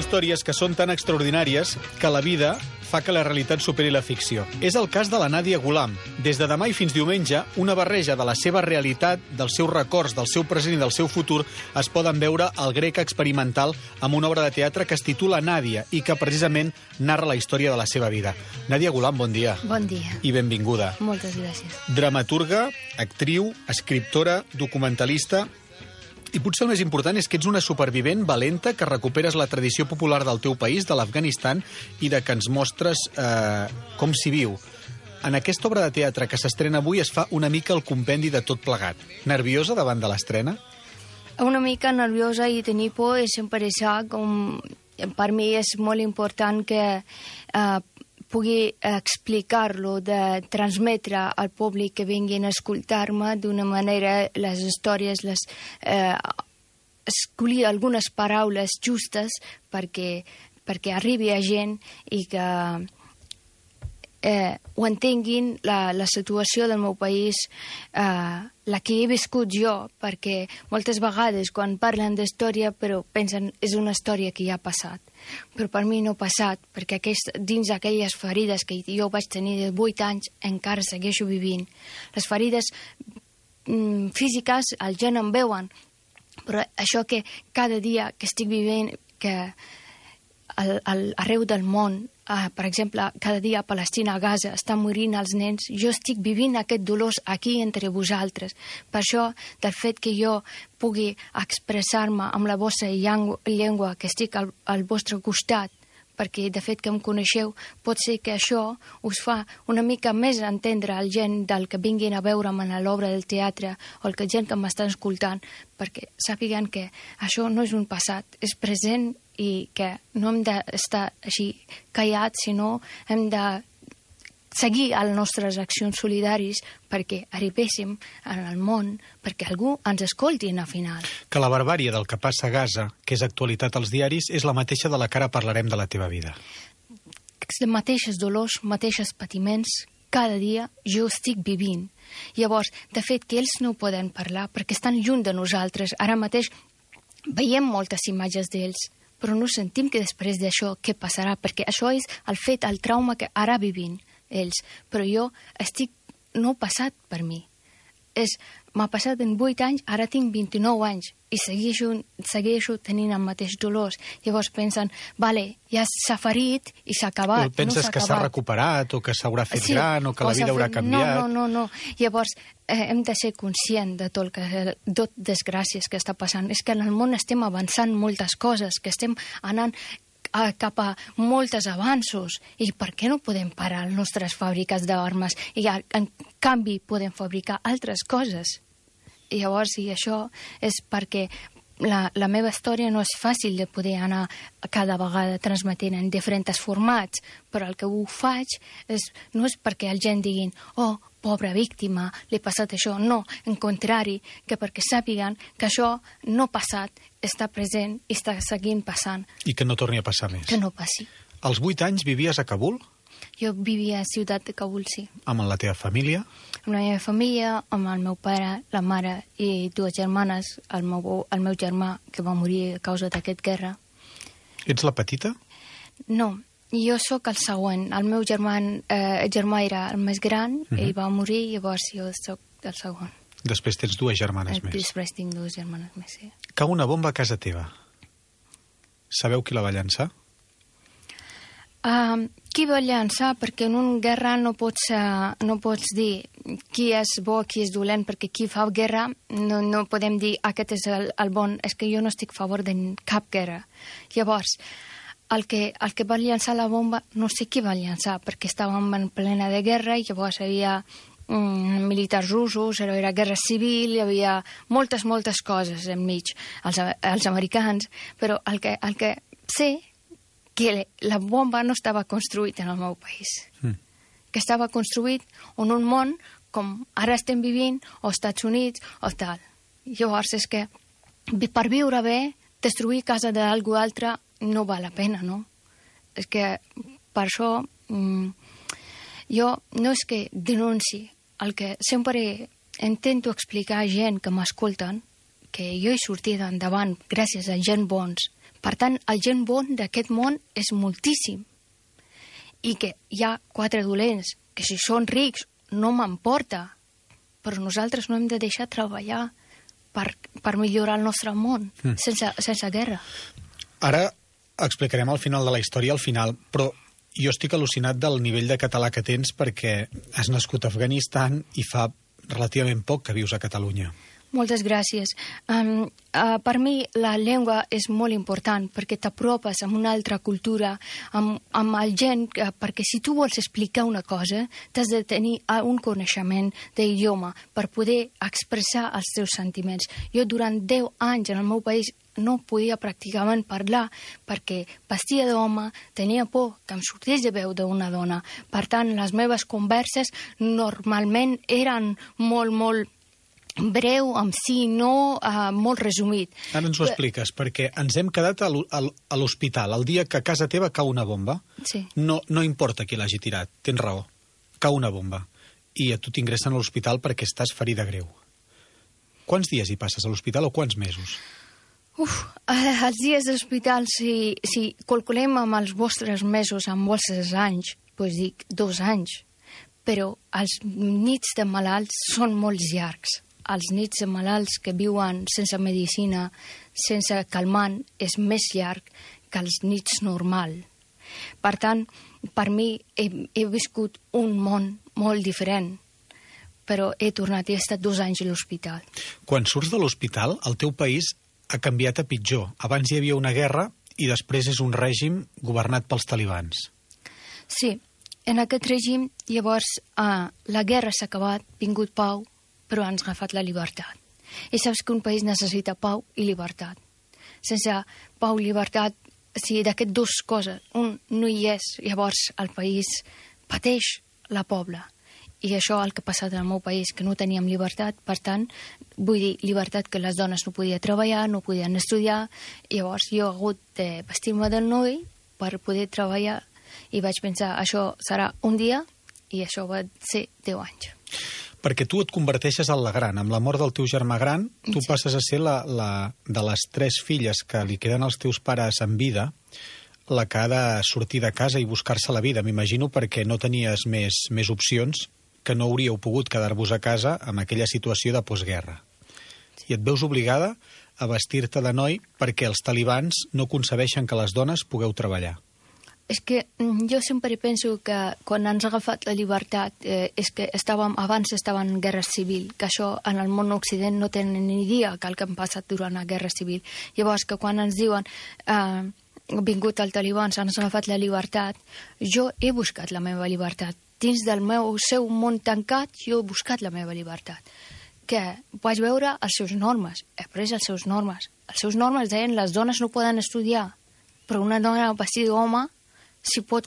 Històries que són tan extraordinàries que la vida fa que la realitat superi la ficció. És el cas de la Nadia Ghulam. Des de demà i fins diumenge, una barreja de la seva realitat, dels seus records, del seu present i del seu futur es poden veure al Grec Experimental amb una obra de teatre que es titula Nàdia i que precisament narra la història de la seva vida. Nadia Ghulam, bon dia. Bon dia. I benvinguda. Moltes gràcies. Dramaturga, actriu, escriptora, documentalista. I potser el més important és que ets una supervivent valenta que recuperes la tradició popular del teu país, de l'Afganistan, i de que ens mostres com s'hi viu. En aquesta obra de teatre que s'estrena avui es fa una mica el compendi de tot plegat. Nerviosa davant de l'estrena? Una mica nerviosa i tenir por és sempre això. Per mi és molt important que pugui explicar-lo, de transmetre al públic que vinguin a escoltar-me d'una manera les històries, escollir algunes paraules justes perquè arribi a gent i que ho entenguin la situació del meu país, la que he viscut jo, perquè moltes vegades quan parlen d'història però pensen és una història que ja ha passat. Però per mi no ha passat, perquè dins aquelles ferides que jo vaig tenir de 8 anys encara segueixo vivint. Les ferides físiques la gent en veuen, però això que cada dia que estic vivint, que arreu del món, per exemple, cada dia a Palestina, a Gaza, estan morint els nens, jo estic vivint aquest dolor aquí entre vosaltres. Per això, del fet que jo pugui expressar-me amb la vostra llengua, que estic al vostre costat, perquè de fet que em coneixeu, pot ser que això us fa una mica més entendre el gent del que vinguin a veure'm en l'obra del teatre o el gent que m'està escoltant, perquè sàpiguen que això no és un passat, és present i que no hem d'estar així callats, sinó hem de seguir les nostres accions solidàries perquè arribéssim al món, perquè algú ens escolti al final. Que la barbàrie del que passa a Gaza, que és actualitat als diaris, és la mateixa de la que ara parlarem de la teva vida. Els mateixos dolors, mateixos patiments, cada dia jo estic vivint. Llavors, de fet, que ells no poden parlar perquè estan lluny de nosaltres. Ara mateix veiem moltes imatges d'ells, però no sentim que després d'això què passarà, perquè això és el fet, el trauma que ara vivim ells. Però jo no ha passat per mi. M'ha passat en 8 anys, ara tinc 29 anys i segueixo tenint el mateix dolor. Llavors pensen, vale, ja s'ha ferit i s'ha acabat. Penses que s'ha recuperat o que s'haurà fet gran o que la vida haurà canviat? No. Llavors hem de ser conscients de tot desgràcies que està passant. És que en el món estem avançant moltes coses, que estem anant cap a molts avanços. I per què no podem parar les nostres fàbriques d'armes i en canvi podem fabricar altres coses? I llavors, i això és perquè la meva història no és fàcil de poder anar cada vegada transmetent en diferents formats, però el que ho faig no és perquè la gent diguin oh, pobra víctima, li ha passat això. No, en contrari, que perquè sàpiguen que això no ha passat, està present i està seguint passant. I que no torni a passar més. Que no passi. Als 8 anys vivies a Kabul? Jo vivia a la ciutat de Kabul, sí. Amb la teva família? Amb la meva família, amb el meu pare, la mare i 2 germanes, el meu germà que va morir a causa d'aquesta guerra. Ets la petita? No, jo sóc el següent. El meu germà era el més gran, ell va morir, llavors jo sóc el segon. Després tens 2 germanes més. Després tinc 2 germanes més, sí. Cau una bomba a casa teva. Sabeu qui la va llançar? Qui va llançar? Perquè en una guerra no pots dir qui és bo, qui és dolent, perquè qui fa guerra no podem dir aquest és el bon. És que jo no estic a favor de cap guerra. Llavors, el que va llançar la bomba no sé qui va llançar, perquè estàvem en plena de guerra i llavors hi havia militars russos, era guerra civil, hi havia moltes coses enmig, els americans, però el que sé que la bomba no estava construït en el meu país, que estava construït en un món com ara estem vivint, o Estats Units, o tal. Llavors és que per viure bé, destruir casa d'algú altre no val la pena, no? És que Per això jo no és que denunci, el que sempre intento explicar a gent que m'escolten que jo he sortit endavant gràcies a gent bons. Per tant, el gent bon d'aquest món és moltíssim. I que hi ha 4 dolents, que si són rics no m'emporta, però nosaltres no hem de deixar treballar per millorar el nostre món, sense guerra. Ara explicarem al final de la història, al final, però jo estic al·lucinat del nivell de català que tens perquè has nascut a Afganistan i fa relativament poc que vius a Catalunya. Moltes gràcies. Per mi la llengua és molt important perquè t'apropes amb una altra cultura, amb el gent, perquè si tu vols explicar una cosa t'has de tenir un coneixement d'idioma per poder expressar els teus sentiments. Jo durant 10 anys en el meu país no podia pràcticament parlar perquè vestia d'home, tenia por que em sortís de veu d'una dona. Per tant, les meves converses normalment eren molt breu, amb sí, no, molt resumit. Ara ens ho expliques, perquè ens hem quedat a l'hospital el dia que a casa teva cau una bomba. Sí. No importa qui l'hagi tirat, tens raó. Cau una bomba. I a tu t'ingressen a l'hospital perquè estàs ferida greu. Quants dies hi passes a l'hospital o quants mesos? Els dies d'hospital, si calculem amb els vostres mesos, amb vostres anys, doncs dic 2 anys. Però els nits de malalts són molt llargs. Els nits de malalts que viuen sense medicina, sense calmant, és més llarg que els nits normal. Per tant, per mi he viscut un món molt diferent, però he tornat i he estat 2 anys a l'hospital. Quan surts de l'hospital, el teu país ha canviat a pitjor. Abans hi havia una guerra i després és un règim governat pels talibans. Sí, en aquest règim, llavors, la guerra s'ha acabat, vingut pau, però ens ha agafat la llibertat. I saps que un país necessita pau i llibertat. Sense pau i llibertat, si d'aquestes 2 coses un no hi és, llavors el país pateix la pobla. I això el que ha passat en el meu país, que no teníem llibertat, per tant, vull dir, llibertat que les dones no podien treballar, no podien estudiar, i llavors jo he hagut de vestir-me del noi per poder treballar i vaig pensar, això serà un dia, i això va ser 10 anys. Perquè tu et converteixes en la gran. Amb la mort del teu germà gran, tu passes a ser de les 3 filles que li queden als teus pares en vida, la que ha de sortir de casa i buscar-se la vida. M'imagino perquè no tenies més opcions, que no hauríeu pogut quedar-vos a casa amb aquella situació de postguerra. I et veus obligada a vestir-te de noi perquè els talibans no concebeixen que les dones pugueu treballar. És que jo sempre penso que quan ens ha agafat la llibertat és que abans estàvem en guerra civil, que això en el món occident no tenen ni idea que el que ha passat durant la guerra civil. Llavors que quan ens diuen vingut el talibans, ens ha agafat la llibertat, jo he buscat la meva llibertat. Dins del seu món tancat, jo he buscat la meva llibertat. Que vaig veure els seus normes, he après els seus normes. Els seus normes deien les dones no poden estudiar, però una dona vestida d'home, si pot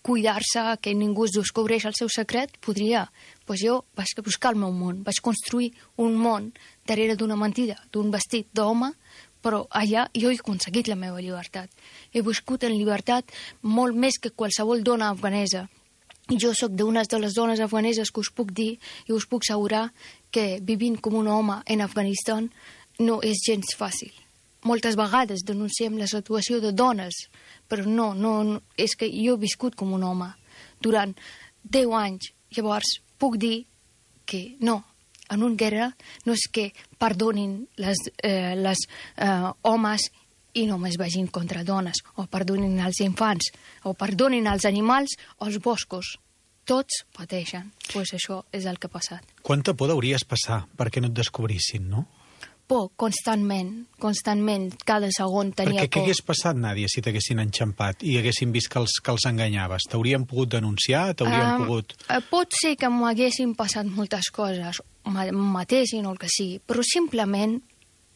cuidar-se, que ningú es descobreix el seu secret, podria. Doncs jo vaig buscar el meu món, vaig construir un món darrere d'una mentida, d'un vestit d'home, però allà jo he aconseguit la meva llibertat. He viscut en llibertat molt més que qualsevol dona afganesa. I jo sóc d'una de les dones afganeses que us puc dir i us puc assegurar que vivint com un home en Afganistan no és gens fàcil. Moltes vegades denunciem la situació de dones, però no, és que jo he viscut com un home durant 10 anys. Llavors puc dir que no, en una guerra no és que perdonin les homes i només vagin contra dones, o perdonin els infants, o perdonin els animals o els boscos. Tots pateixen. Doncs això és el que ha passat. Quanta por hauries passar perquè no et descobrissin, no? Por, constantment, cada segon tenia por. Perquè què hagués passat, Nàdia, si t'haguessin enxampat i haguessin vist que els enganyaves? T'haurien pogut denunciar? T'haurien pogut... Pot ser que m'haguessin passat moltes coses, matessin o el que sigui, però simplement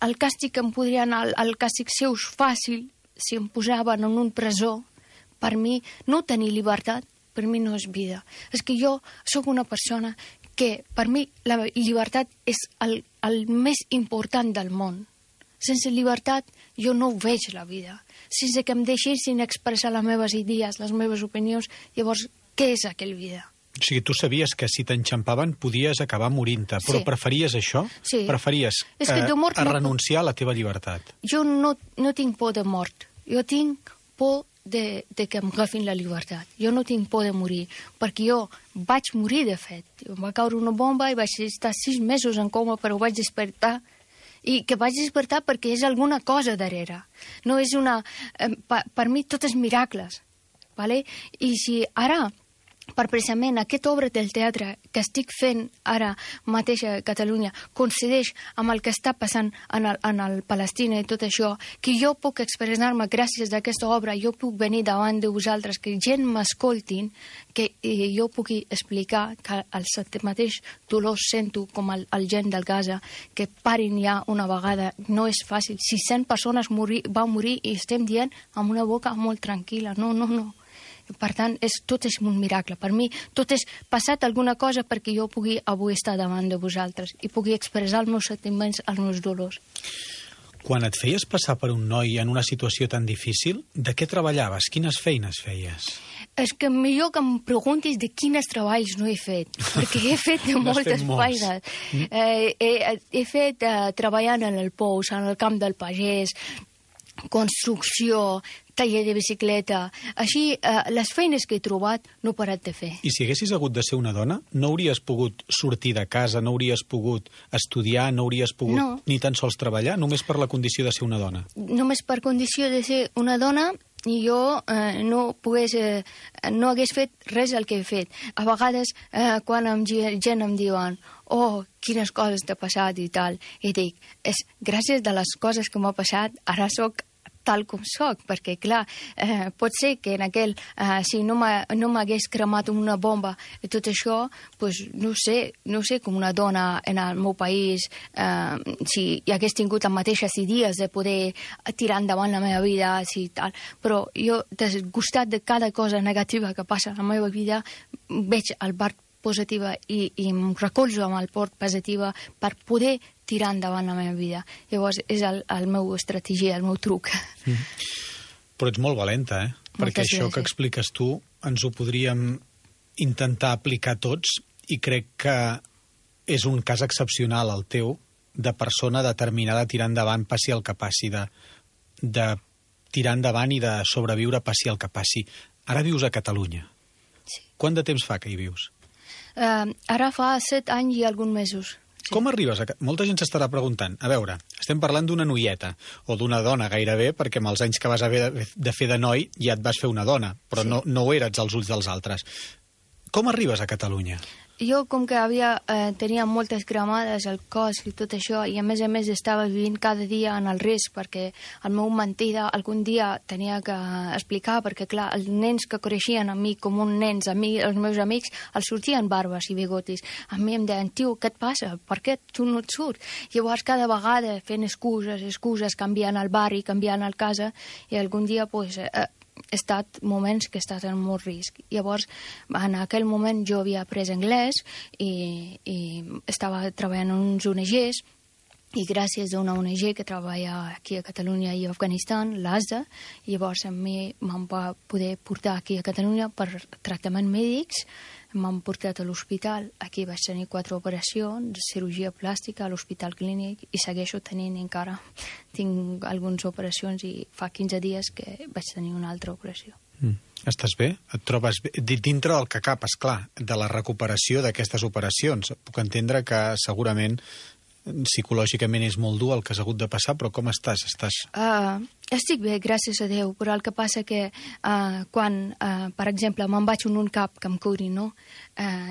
el càstig que em podria anar, el càstig seu fàcil, si em posaven en un presó, per mi no tenir llibertat, per mi no és vida. És que jo sóc una persona que per mi la llibertat és el més important del món. Sense llibertat jo no ho veig, la vida. Sense que em deixessin expressar les meves idees, les meves opinions, llavors, què és aquella vida? O sigui, tu sabies que si t'enxampaven podies acabar morint-te, però preferies això? Sí. Preferies renunciar a la teva llibertat? Jo no tinc por de mort. Jo tinc por de que em agafin la llibertat. Jo no tinc por de morir, perquè jo vaig morir, de fet. Em va caure una bomba i vaig estar 6 mesos en coma, però vaig despertar. I que vaig despertar perquè és alguna cosa darrere. No és una... Per mi tot és miracles. Vale? I si ara, per precisament aquesta obra del teatre que estic fent ara mateix a Catalunya coincideix amb el que està passant en el Palestina i tot això, que jo puc expressar-me gràcies a aquesta obra, jo puc venir davant de vosaltres, que gent m'escoltin, que jo pugui explicar que el mateix dolor sento com el gent del Gaza, que parin ja una vegada, no és fàcil. 600 persones van morir i estem dient amb una boca molt tranquil·la. No. Per tant, tot és un miracle. Per mi, tot és passat alguna cosa perquè jo pugui avui estar davant de vosaltres i pugui expressar els meus sentiments, els meus dolors. Quan et feies passar per un noi en una situació tan difícil, de què treballaves? Quines feines feies? És que millor que em preguntis de quins treballs no he fet, perquè he fet de moltes feines. He fet treballant en el pous, en el camp del pagès, construcció, taller de bicicleta. Així, les feines que he trobat no he parat de fer. I si haguessis hagut de ser una dona, no hauries pogut sortir de casa, no hauries pogut estudiar, no hauries pogut ni tan sols treballar, només per la condició de ser una dona? Només per condició de ser una dona, i jo no hagués fet res el que he fet. A vegades, quan gent em diuen quines coses t'ha passat i tal, i dic, és gràcies a les coses que m'ha passat, ara sóc tal com soc, perquè, clar, pot ser que en aquell, si no m'hagués cremat una bomba i tot això, doncs no sé com una dona en el meu país, si hi hagués tingut les mateixes idees de poder tirar endavant la meva vida, si tal, però jo, desgustat de cada cosa negativa que passa a la meva vida, veig el part positiva i em recolzo amb el port positiva per poder tirar endavant la meva vida. Llavors, és el meu estratègia, el meu truc. Però ets molt valenta, Perquè això que expliques tu ens ho podríem intentar aplicar tots i crec que és un cas excepcional el teu de persona determinada a tirar endavant passi el que passi, de tirar endavant i de sobreviure passi el que passi. Ara vius a Catalunya. Sí. Quant de temps fa que hi vius? Ara fa 7 anys i alguns mesos. Sí. Com arribes a... Molta gent s'estarà preguntant, a veure, estem parlant d'una noieta, o d'una dona gairebé, perquè amb els anys que vas haver de fer de noi ja et vas fer una dona, però no ho eres als ulls dels altres. Com arribes a Catalunya? Jo, com que tenia moltes cremades al cos i tot això, i a més estava vivint cada dia en el risc, perquè el meu mentida algun dia tenia que explicar, perquè clar, els nens que creixien amb mi com uns nens, els meus amics, els sortien barbes i bigotis. A mi em deien, tio, què et passa? Per què tu no et surts? Llavors, cada vegada fent excuses, canviant el barri, canviant el casa, i algun dia, he estat moments que he estat en molt risc. Llavors, en aquell moment jo havia après anglès i estava treballant en uns ONGs, i gràcies a una ONG que treballa aquí a Catalunya i a Afganistan, l'ASA, llavors a mi m'han va poder portar aquí a Catalunya per tractaments mèdics. M'han portat a l'hospital, aquí vaig tenir 4 operacions, cirurgia plàstica a l'Hospital Clínic, i segueixo tenint encara. Tinc algunes operacions i fa 15 dies que vaig tenir una altra operació. Estàs bé? Et trobes bé? Dintre del que cap, esclar, de la recuperació d'aquestes operacions. Puc entendre que segurament psicològicament és molt dur el que has hagut de passar, però com estàs? Estic bé, gràcies a Déu, però el que passa que quan, per exemple, me'n vaig en un cap que em curin, no?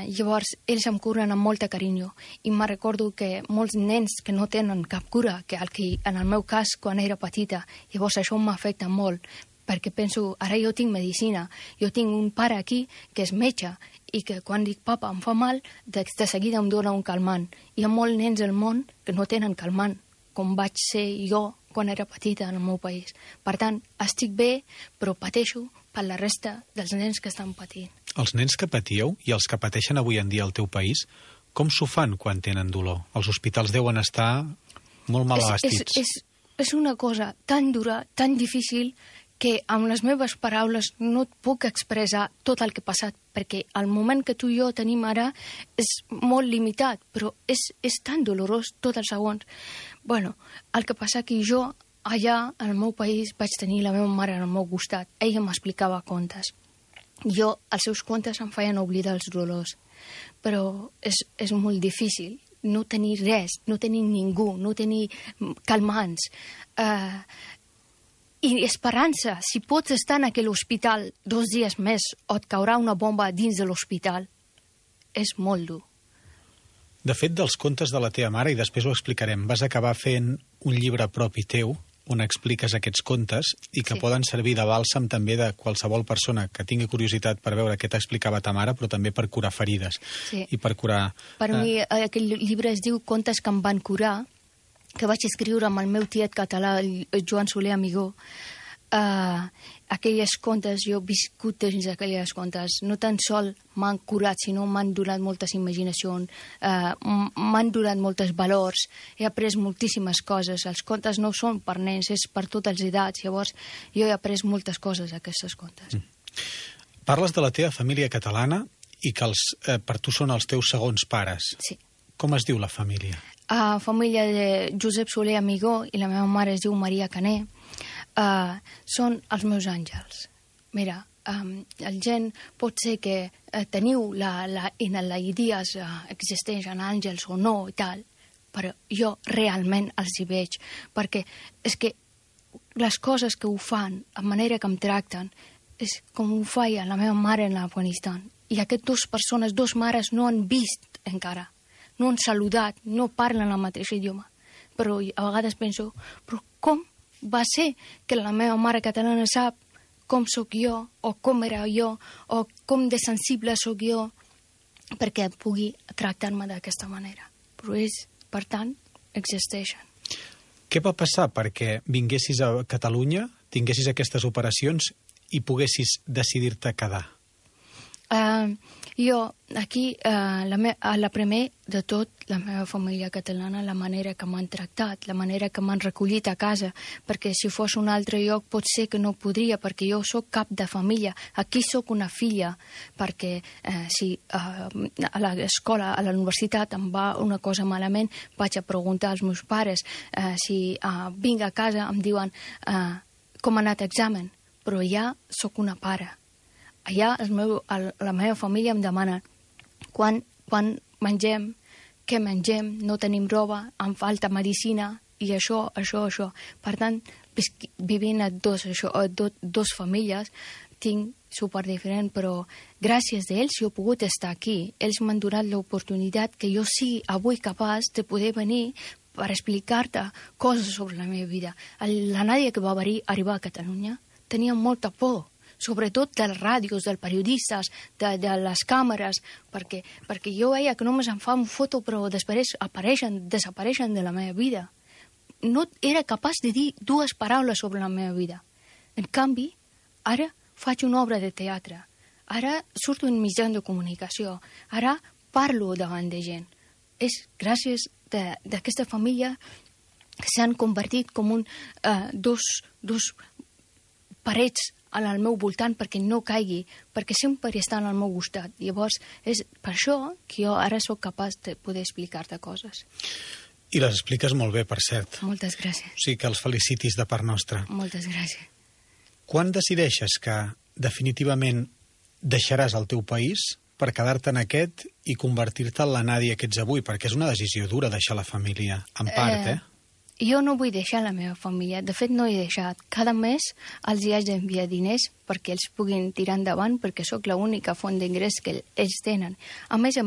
Llavors, ells em curen amb molta carinyo, i me recordo que molts nens que no tenen cap cura, que en el meu cas, quan era petita, llavors això m'afecta molt, perquè penso, ara jo tinc medicina, jo tinc un pare aquí que és metge, i que quan dic papa em fa mal, de seguida em dona un calmant. Hi ha molts nens al món que no tenen calmant, com vaig ser jo quan era petita en el meu país. Per tant, estic bé, però pateixo per la resta dels nens que estan patint. Els nens que patíeu i els que pateixen avui en dia al teu país, com s'ho fan quan tenen dolor? Els hospitals deuen estar molt mal abastits. és una cosa tan dura, tan difícil, que amb les meves paraules no et puc expressar tot el que ha passat, perquè el moment que tu i jo tenim ara és molt limitat, però és tan dolorós tots els segons. Bueno, el que passa que jo, allà, al meu país, vaig tenir la meva mare al meu costat. Ella m'explicava contes. Jo, els seus contes em feien oblidar els dolors, però és molt difícil no tenir res, no tenir ningú, no tenir calmants. I esperança, si pots estar en aquell hospital 2 dies més o et caurà una bomba dins de l'hospital, és molt dur. De fet, dels contes de la teva mare, i després ho explicarem, vas acabar fent un llibre propi teu on expliques aquests contes i que poden servir de bàlsam també de qualsevol persona que tingui curiositat per veure què t'explicava ta mare, però també per curar ferides i per curar... Per mi, aquell llibre es diu Contes que em van curar, que vaig escriure amb el meu tiet català, el Joan Soler Amigó. Aquelles contes, jo he viscut dins aquelles contes, no tan sol m'han curat, sinó m'han donat moltes imaginacions, m'han donat molts valors, he après moltíssimes coses. Els contes no són per nens, és per totes les edats, llavors jo he après moltes coses d'aquestes contes. Parles de la teva família catalana i que per tu són els teus segons pares. Sí. Com es diu la família? Família de Josep Soler Amigó i la meva mare es diu Maria Caner. Són els meus àngels. Mira, el gent pot ser que teniu la idees existeixen àngels o no i tal, però jo realment els hi veig, perquè és que les coses que ho fan, la manera que em tracten, és com ho feia la meva mare en l'Afganistan. I aquestes dues persones, dues mares, no han vist encara, no han saludat, no parlen el mateix idioma. Però a vegades penso, però com va ser que la meva mare catalana sap com sóc jo, o com era jo, o com de sensible sóc jo, perquè pugui tractar-me d'aquesta manera. Però per tant, existeixen. Què va passar perquè vinguessis a Catalunya, tinguessis aquestes operacions i poguessis decidir-te quedar? Jo, aquí, la primer de tot, la meva família catalana, la manera que m'han tractat, la manera que m'han recollit a casa, perquè si fos un altre lloc pot ser que no podria, perquè jo sóc cap de família. Aquí sóc una filla, perquè si a l'escola, a la universitat em va una cosa malament, vaig a preguntar als meus pares. Si vinc a casa em diuen com ha anat l'examen, però ja sóc una pare. Allà la meva família em demana quan mengem, què mengem, no tenim roba, em falta medicina i això. Per tant, vivint a dos famílies, tinc superdiferent, però gràcies a ells jo he pogut estar aquí. Ells m'han donat l'oportunitat que jo sigui avui capaç de poder venir per explicar-te coses sobre la meva vida. La Nàdia que va arribar a Catalunya tenia molta por, sobretot dels ràdios, dels periodistes, de les càmeres, perquè jo veia que només em fa una foto però després desapareixen de la meva vida. No era capaç de dir 2 paraules sobre la meva vida. En canvi, ara faig una obra de teatre, ara surto en mitjans de comunicació, ara parlo davant de gent. És gràcies d'aquesta família que s'han convertit com dos parets al meu voltant perquè no caigui, perquè sempre estan al meu costat. Llavors, és per això que jo ara sóc capaç de poder explicar-te coses. I les expliques molt bé, per cert. Moltes gràcies. O sigui que els felicitis de part nostra. Moltes gràcies. Quan decideixes que definitivament deixaràs el teu país per quedar-te en aquest i convertir-te en la Nàdia que ets avui? Perquè és una decisió dura deixar la família, en part, Jo no vull deixar la meva família. De fet, no he deixat. Cada mes els hi haig d'enviar diners perquè ells puguin tirar endavant, perquè sóc l'única font d'ingrés que ells tenen. A més,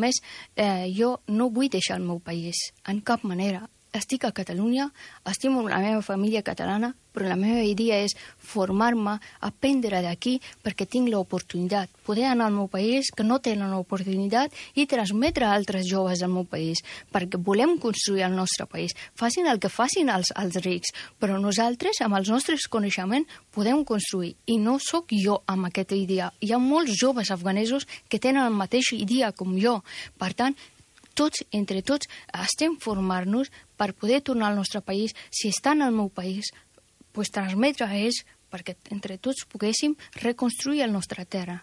jo no vull deixar el meu país, en cap manera. Estic a Catalunya, estimo la meva família catalana, però la meva idea és formar-me, aprendre d'aquí, perquè tinc l'oportunitat. Poder anar al meu país, que no tenen l'oportunitat, i transmetre a altres joves del meu país, perquè volem construir el nostre país. Facin el que facin els rics, però nosaltres, amb els nostres coneixements, podem construir. I no sóc jo amb aquesta idea. Hi ha molts joves afganesos que tenen el mateix idea com jo. Per tant, tots, entre tots, estem formant-nos per poder tornar al nostre país. Si estan al meu país, pues transmetre a ells perquè entre tots poguéssim reconstruir la nostra terra.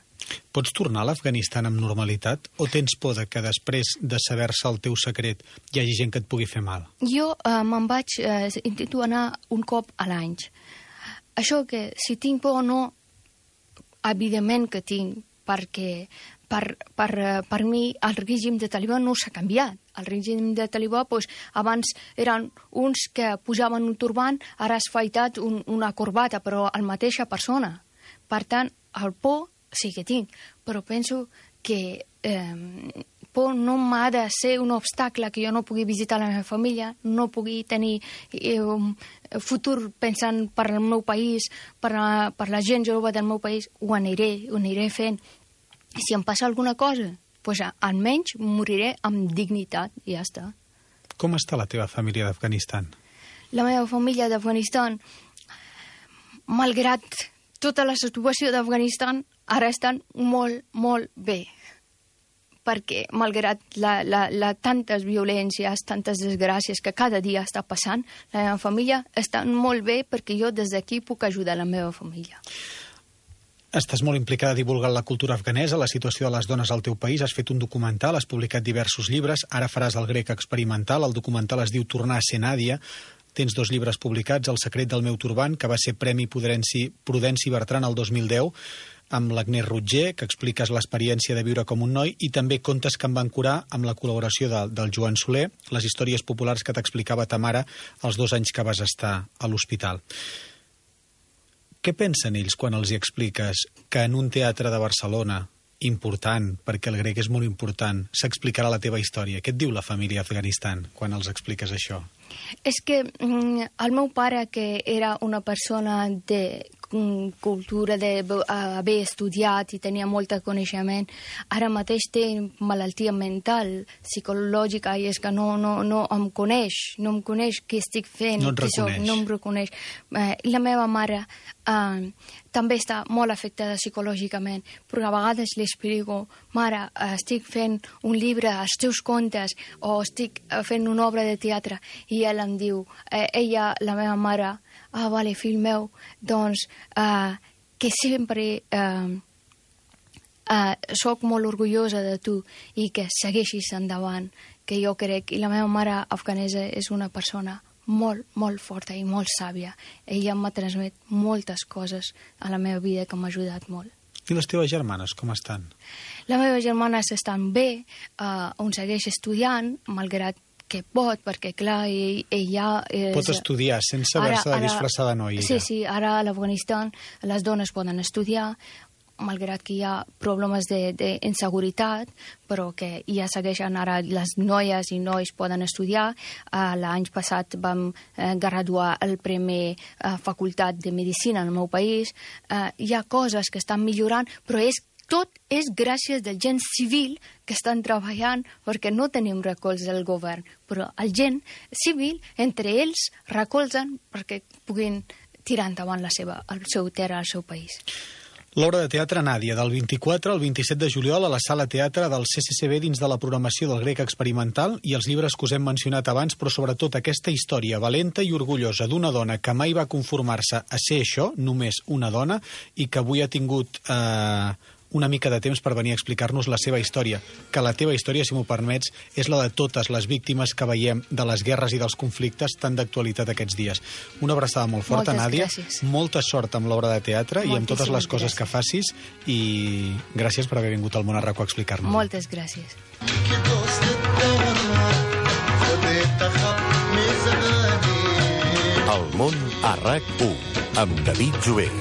Pots tornar a l'Afganistan amb normalitat o tens por que després de saber-se el teu secret hi hagi gent que et pugui fer mal? Jo me'n vaig, intento anar un cop a l'any. Això que si tinc por o no, evidentment que tinc, perquè per mi el règim de talibà no s'ha canviat. El règim de talibà, abans eren uns que posaven un turbant, ara has afaitat una corbata, però la mateixa persona. Per tant, el por sí que tinc, però penso que por no m'ha de ser un obstacle que jo no pugui visitar la meva família, no pugui tenir un futur pensant per al meu país, per la gent jove del meu país. Ho aniré fent. Si em passa alguna cosa, almenys moriré amb dignitat i ja està. Com està la teva família d'Afganistan? La meva família d'Afganistan, malgrat tota la situació d'Afganistan, ara estan molt, molt bé. Perquè, malgrat tantes violències, tantes desgràcies que cada dia està passant, la meva família està molt bé perquè jo des d'aquí puc ajudar la meva família. Estàs molt implicada divulgant la cultura afganesa, la situació de les dones al teu país, has fet un documental, has publicat diversos llibres, ara faràs el grec experimental, el documental es diu Tornar a ser Nàdia, tens 2 llibres publicats, El secret del meu turbant, que va ser Premi Prudenci Bertran el 2010, amb l'Agnès Rutger, que expliques l'experiència de viure com un noi, i també Contes que em van curar, amb la col·laboració del Joan Soler, les històries populars que t'explicava ta mare els 2 anys que vas estar a l'hospital. Què pensen ells quan els hi expliques que en un teatre de Barcelona, important, perquè el grec és molt important, s'explicarà la teva història? Què et diu la família d'Afganistan quan els expliques això? És que el meu pare, que era una persona de cultura, d'haver estudiat i tenia molt coneixement, ara mateix té malaltia mental, psicològica, i és que no em coneix, no em coneix què estic fent, no et reconeix. No em reconeix. I la meva mare també està molt afectada psicològicament, però a vegades li explico: mare, estic fent un llibre, els teus contes, o estic fent una obra de teatre, i ella em diu, la meva mare, vale, fill meu, doncs que sempre soc molt orgullosa de tu i que segueixis endavant, que jo crec, i la meva mare afganesa és una persona molt, molt forta i molt sàvia. Ella m'ha transmet moltes coses a la meva vida que m'ha ajudat molt. I les teves germanes, com estan? Les meves germanes estan bé, on segueix estudiant, malgrat que pot, perquè clar, ella... Pot estudiar sense haver-se de disfressar de noia. Sí, ara a l'Afganistan les dones poden estudiar, malgrat que hi ha problemes d'inseguretat, però que ja segueixen ara les noies i nois poden estudiar. L'any passat vam graduar el Premi Facultat de Medicina en el meu país. Hi ha coses que estan millorant, però tot és gràcies del gent civil que estan treballant, perquè no tenim recolz del govern, però el gent civil, entre ells, recolzen perquè puguin tirar endavant el seu terra, el seu país. L'obra de teatre Nàdia, del 24 al 27 de juliol a la Sala Teatre del CCCB dins de la programació del grec experimental, i els llibres que us hem mencionat abans, però sobretot aquesta història valenta i orgullosa d'una dona que mai va conformar-se a ser això, només una dona, i que avui ha tingut una mica de temps per venir a explicar-nos la seva història, que la teva història, si m'ho permets, és la de totes les víctimes que veiem de les guerres i dels conflictes tan d'actualitat aquests dies. Una abraçada molt forta, Nàdia. Gràcies. Molta sort amb l'obra de teatre i amb totes les coses que facis, i gràcies per haver vingut al Món a RAC1 a explicar-nos. Moltes gràcies. El Món a RAC1 amb David Jové.